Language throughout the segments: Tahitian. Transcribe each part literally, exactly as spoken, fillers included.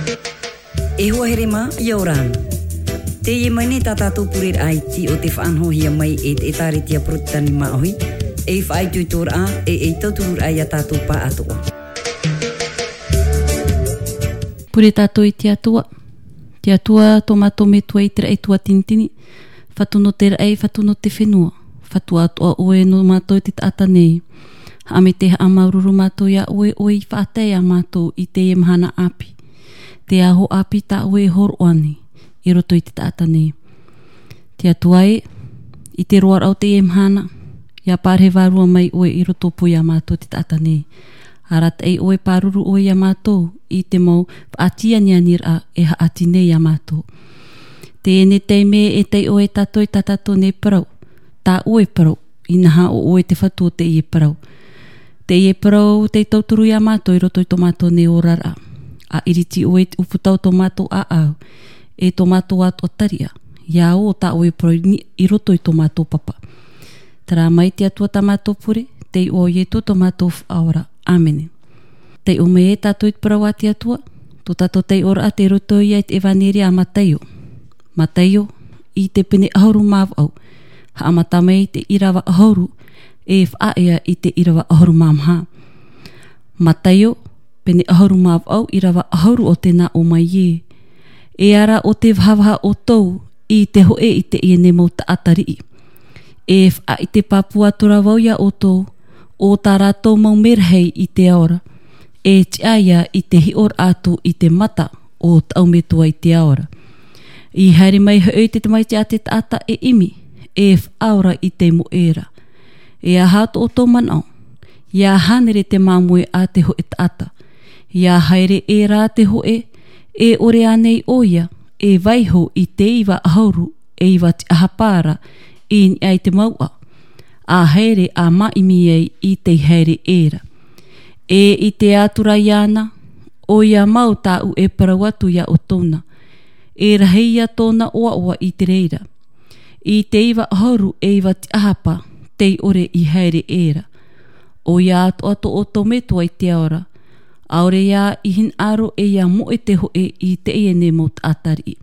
E hoa here mā, ʻia ora na. Teie mai nei tā tātou pureraʻa iti o te faʻanahohia mai e te ʻĒtārētia Porotetani Māʻohi, ei faʻaitoitoraʻa, e ei tautururaʻa ia tātou pāʻatoʻa. Pure tātou i te Atua. Te Atua, tō mātou Metua i te raʻi tuatinitini, Fatu nō te raʻi, Fatu nō te fenua, Fatu atoʻa ʻoe nō mātou i te taʻata nei. Haʻamāuruuru mātou ia ʻoe, ʻoe i faʻatae ia mātou i teie mahana ʻāpī. Te aho ʻāpī tā ʻoe e hōroʻa nei, i roto i te taʻata nei. Te Atua e, i te roaraʻa o teie mahana, ʻia pārahi vārua mai ʻoe i rotopū ia mātou te taʻata nei. Arataʻi ʻoe, pāruru ʻoe ia mātou, i te mau faʻatianianiraʻa e haʻati nei ia mātou. Teie nei taime e taiʻo ai tātou i tā tātou nei parau, tā ʻoe parau, inaha ʻo ʻoe te Fatu o teie parau. Teie parau tei tauturu ia mātou i roto i tō mātou nei oraraʻa. ʻA ʻiriti ʻoe i te ʻūputa o tō mātou ʻāʻau, e tō mātou atoʻa tariʻa, ʻia ō tā ʻoe parau i ni-, i roto i tō mātou papa. Terā mai te Atua tā mātou pure, tei iʻoa o Ietu tō mātou Faʻaora. ʻĀmene. Taiʻo mai e tātou i te parau a te Atua, tō tātou taiʻoraʻa tei roto ia i te ʻEvaneria a Mataio. Mataio, i te pene ʻahuru mā vaʻu, haʻamata mai i te ʻīrava ʻahuru, e faʻaea i te ʻīrava ʻahuru mā maha. Mataio, pene ʻahuru mā vaʻu, ʻīrava ʻahuru o tē nā ʻō mai ē: E ara ʻo tē vahavaha ʻoutou i te hōʻē i teie nei mau taʻata riʻi. E faʻaʻite pāpū atu ra vau ia ʻoutou, ʻo tā rātou mau merahi i te ao ra, e tiʻa ia i te hiʻoraʻa atu i te mata o tāʻu Metua i te ao ra. I haere mai hoʻi te Tamaiti a te taʻata e ʻimi, e faʻaora i te moʻe ra. E aha tō ʻoutou manaʻo? ʻIa hānere te māmoe a te hōʻē taʻata. ʻIa haere ʻē rā te hōʻē, e ʻore ānei ʻoia e vaiiho i te iva ʻahuru e iva tiʻahapa ra i niʻa i te mouʻa, ʻa haere ʻa māʻimi ai i tei haere ʻē ra? E ʻite atu ra iāna, ʻoia mau tāʻu e parau atu ia ʻoutou na, e rahi ia tōna ʻoaʻoa i te reira. I te iva ʻahuru e iva tiʻahapa, tei ʻore i haere ʻē ra. ʻOia atoʻa tō ʻoutou Metua i te ao ra, ʻaore ia i hinaʻaro e ʻia moʻe te hōʻē i teie nei mau taʻata riʻi.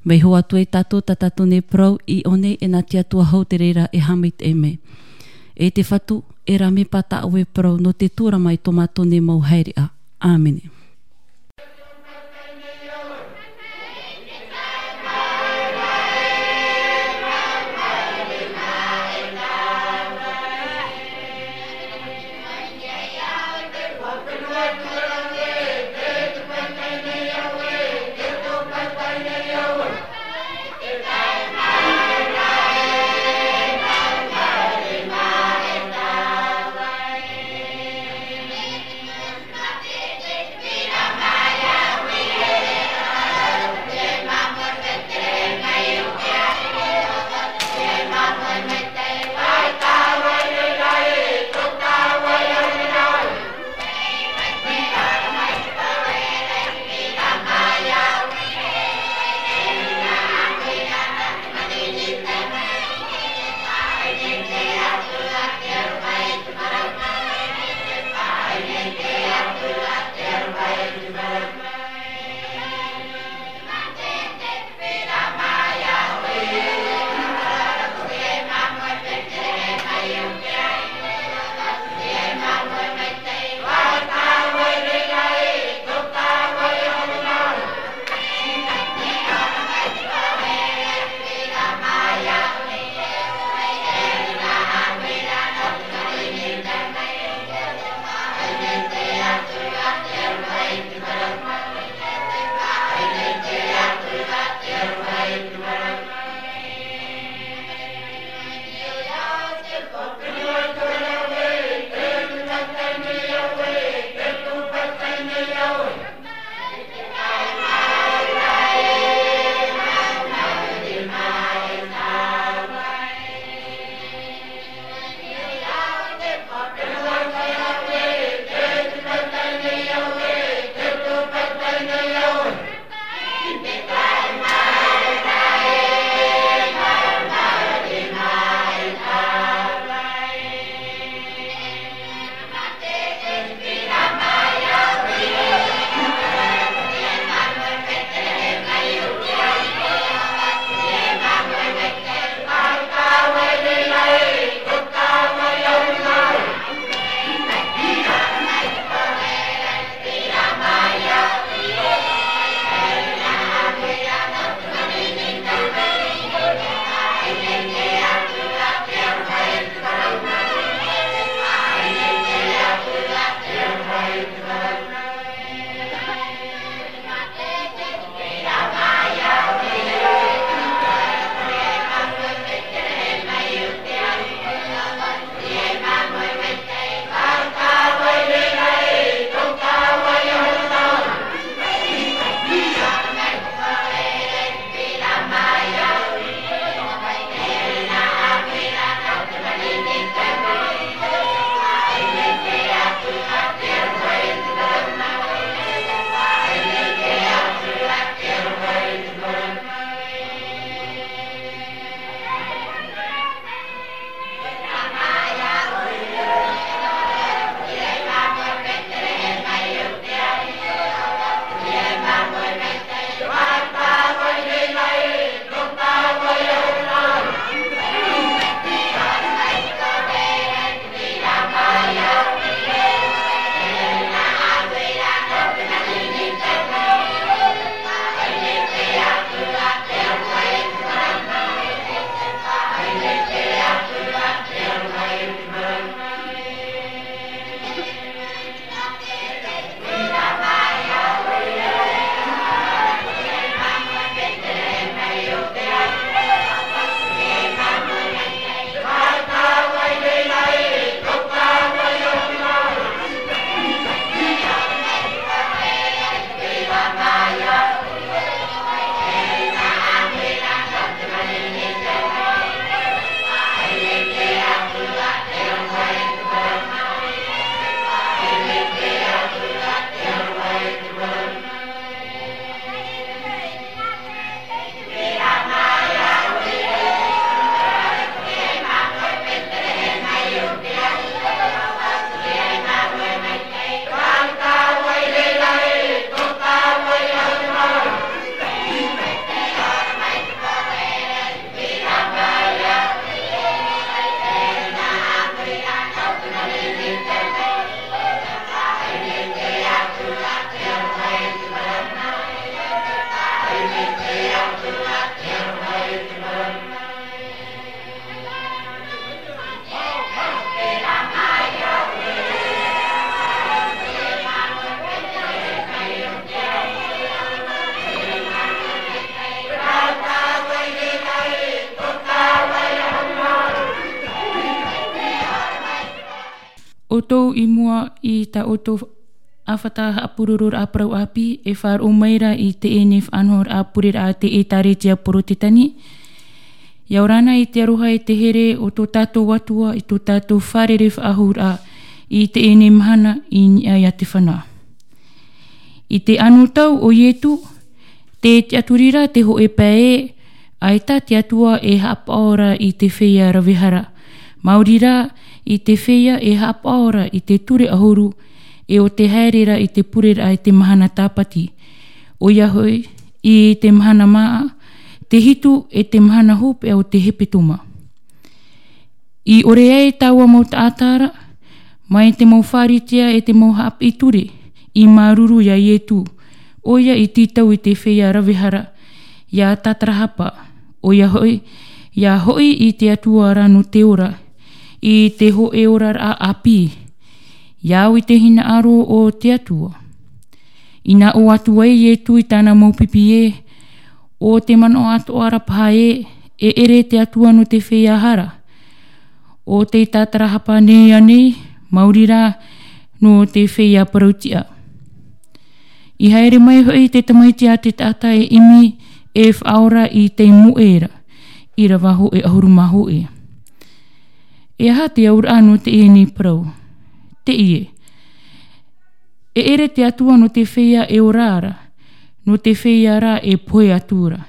Vaiiho atu ai tātou, tā tātou nei parau i ʻō nei, e nā te Atua hou te reira e haʻamaitaʻi mai. E te Fatu, e rāveʻa tā ʻoe parau nō te tuarama i tō mātou nei mau haereʻa. ʻĀmene. I mua i tā ʻoutou ʻāfata haʻapurororaʻa parau ʻāpī, e faʻaroʻo mai ra i teie nei faʻanahoraʻa pureraʻa a te ʻĒtārētia Porotetani. ʻIa ora na i te aroha e te here o tō tātou Atua i tō tātou fārerei faʻahou ra i teie nei mahana i niʻa iā te fenua. I te anotau o Ietu, tē tiʻaturi ra te hōʻē pae ē, ʻaita te Atua e haʻapaʻo ra i te feiā rave hara. Maori rā, i te feiā e haʻapaʻo ra i te ture ʻahuru, e ʻo te haere ra i te pureraʻa i te mahana tāpati. ʻOia hoʻi, i te mahana māʻa, te hitu e te mahana hopeʻa o te hepetoma. I ʻore ai taua mau taʻata ra, mai te mau Pharisea e te mau haʻapiʻi ture, i māuruuru iā Ietu, ʻoia i tītau i te feiā rave hara, ʻia tātarahapa, ʻoia hoʻi, ʻia hoʻi i te Atua ra nō te ora, i te hōʻē oraraʻa ʻāpī, ʻia au i te hinaʻaro o te Atua. Inā ʻō atu ai Ietu i tāna mau pipi ē, ʻo te manaʻo atoʻa ra paha ē, e ʻere te Atua nō te feiā hara. ʻO tei tātarahapa nei ānei, maori rā, nō te feiā parau tiʻa. I haere mai hoʻi te tamaiti a te taʻata e ʻimi e faʻaora i te moʻe ra, ʻīrava hōʻē ʻahuru mā hōʻē. E aha te auraʻa nō teie nei parau? Teie. E ʻere te Atua nō te feiā e ora ra, nō te feiā rā e pohe atu ra.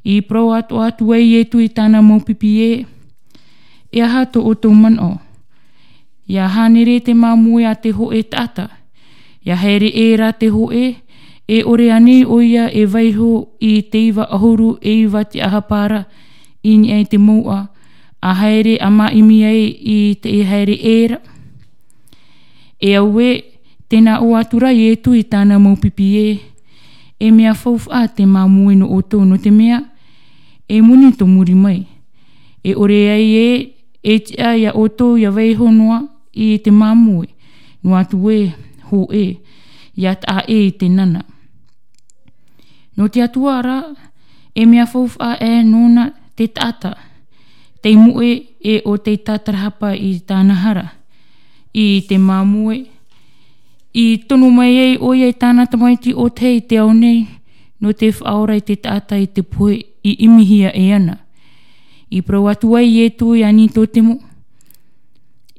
I parau atoʻa atu ai Ietu i tāna mau pipi ē, e aha tō ʻoutou manaʻo? ʻIa hānere te māmoe a te hōʻē taʻata. ʻIa haere ʻē rā te hōʻē, e ʻore ānei ʻoia e vaiho i te iva ʻahuru e iva tiʻahapa ra, i niʻa i te mouʻa, ʻa haere ʻa māʻimi ai i te haere ʻē ra. E au ē, tē nā ʻō atu ra Ietu i tāna mau pipi ē, e mea faufaʻa te māmoe nō ʻoutou nō te mea, e moni tō muri mai. E ʻore ai ē, e tiʻa iā ʻoutou ʻia vaiho noa i te māmoe, noa atu ē, hōʻē, ʻia taʻa ʻē i te nana. Nō te Atua rā, e mea faufaʻa ē nōna te taʻata, tei moʻe e ʻo tei tātarahapa i tāna hara, i te māmoe, i tono mai ai ʻoia i tāna tamaiti ʻōtahi i te ao nei, nō te faʻaora i te taʻata i te pohe i ʻimihia e ana. I parau atu ai Ietu iā Nikotemo,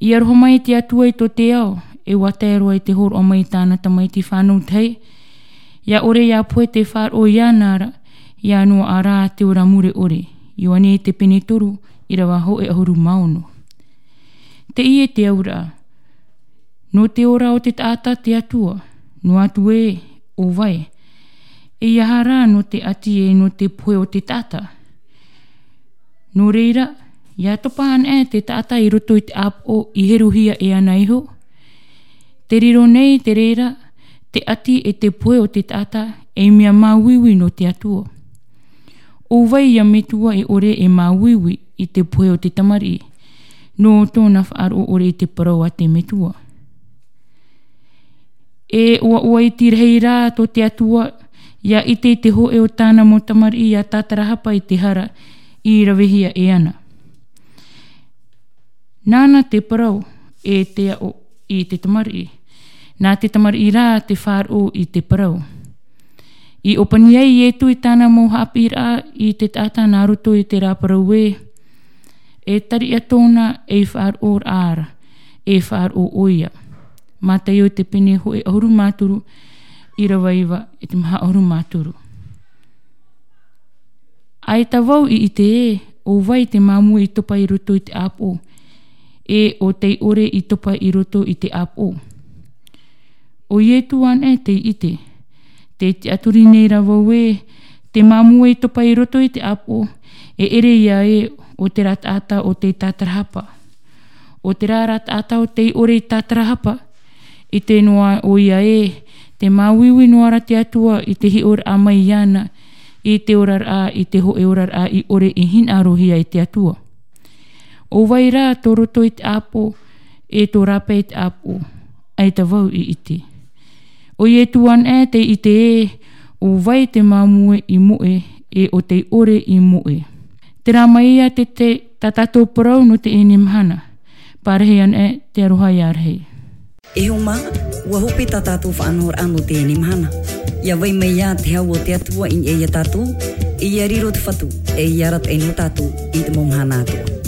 ʻia aroha mai te Atua i tō te ao, e ʻua tae roa i te hōroʻa mai i tāna tamaiti fānau tahi, ʻia ʻore ʻia pohe te faʻaroʻo iāna ra, ʻia noaʻa rā te ora mure ʻore. Ioane te pene toru, ʻīrava hōʻē ʻahuru mā ono. Teie te auraʻa. Nō te ora o te taʻata te Atua, noa atu ē, ʻo vai. E aha rā nō te ʻati e nō te pohe o te taʻata? Nō reira, ʻia topa ana ē te taʻata i roto i te ʻāpoʻo i heruhia e ana iho. Te riro nei te reira, te ʻati e te pohe o te taʻata, ei mea māuiui nō te Atua. ʻO vai ia metua e ʻore e māuiui i te pohe o te tamariʻi, nō tōna faʻaroʻo ʻore i te parau a te metua. E ʻoaʻoa iti rahi rā tō te Atua, ʻia ʻite i te hōʻē o tāna mau tamariʻi ʻia tātarahapa i te hara i ravehia e ana. Nāna te parau e te aʻo i te tamariʻi. Nā te tamariʻi rā te faʻaroʻo i te parau. I ʻōpani ai Ietu i tāna mau haʻapiʻiraʻa i te taʻata nā roto i terā parau ē, e tariʻa tōna ei faʻaroʻoraʻa ra, e faʻaroʻo ʻoia. Mataio te pene hōʻē ʻahuru mā toru, ʻīrava iva e te maha ʻahuru mā toru. ʻAita vau i ʻite ē, ʻo vai te māmoe i topa i roto i te ʻāpoʻo, e ʻo tei ʻore i topa i roto i te ʻāpoʻo. ʻO Ietu ana ē tei ʻite. Tē tiʻaturi nei rā vau ē, te māmoe i topa i roto i te ʻāpoʻo, e ʻere ïa ē ʻo terā taʻata ʻo tei tātarahapa. ʻO terā rā taʻata ʻo tei ʻore i tātarahapa, ʻite noa ʻoia ē, tē māuiui noa ra te Atua i te hiʻoraʻa mai iāna, i te oraraʻa, i te hōʻē oraraʻa i ʻore i hinaʻarohia e te Atua. ʻO vai rā tō roto i te ʻāpoʻo, e tō rāpae i te ʻāpoʻo, ʻaita vau i ʻite. ʻO Ietu ana ē tei ʻite ē, ʻo vai te māmoe i moʻe, e ʻo tei ʻore i moʻe. Terā mai ïa te, te, tā tātou parau nō teie mahana. Parahi ana ē te aroha ïa rahi. E hoa mā, ua hope tā tātou faʻanahoraʻa nō teie mahana. ʻIa vai mai ā te hau o te Atua i niʻa ia tātou, ʻia riro te Fatu, ʻe ʻia arataʻi nō tātou i te mau mahana atoʻa.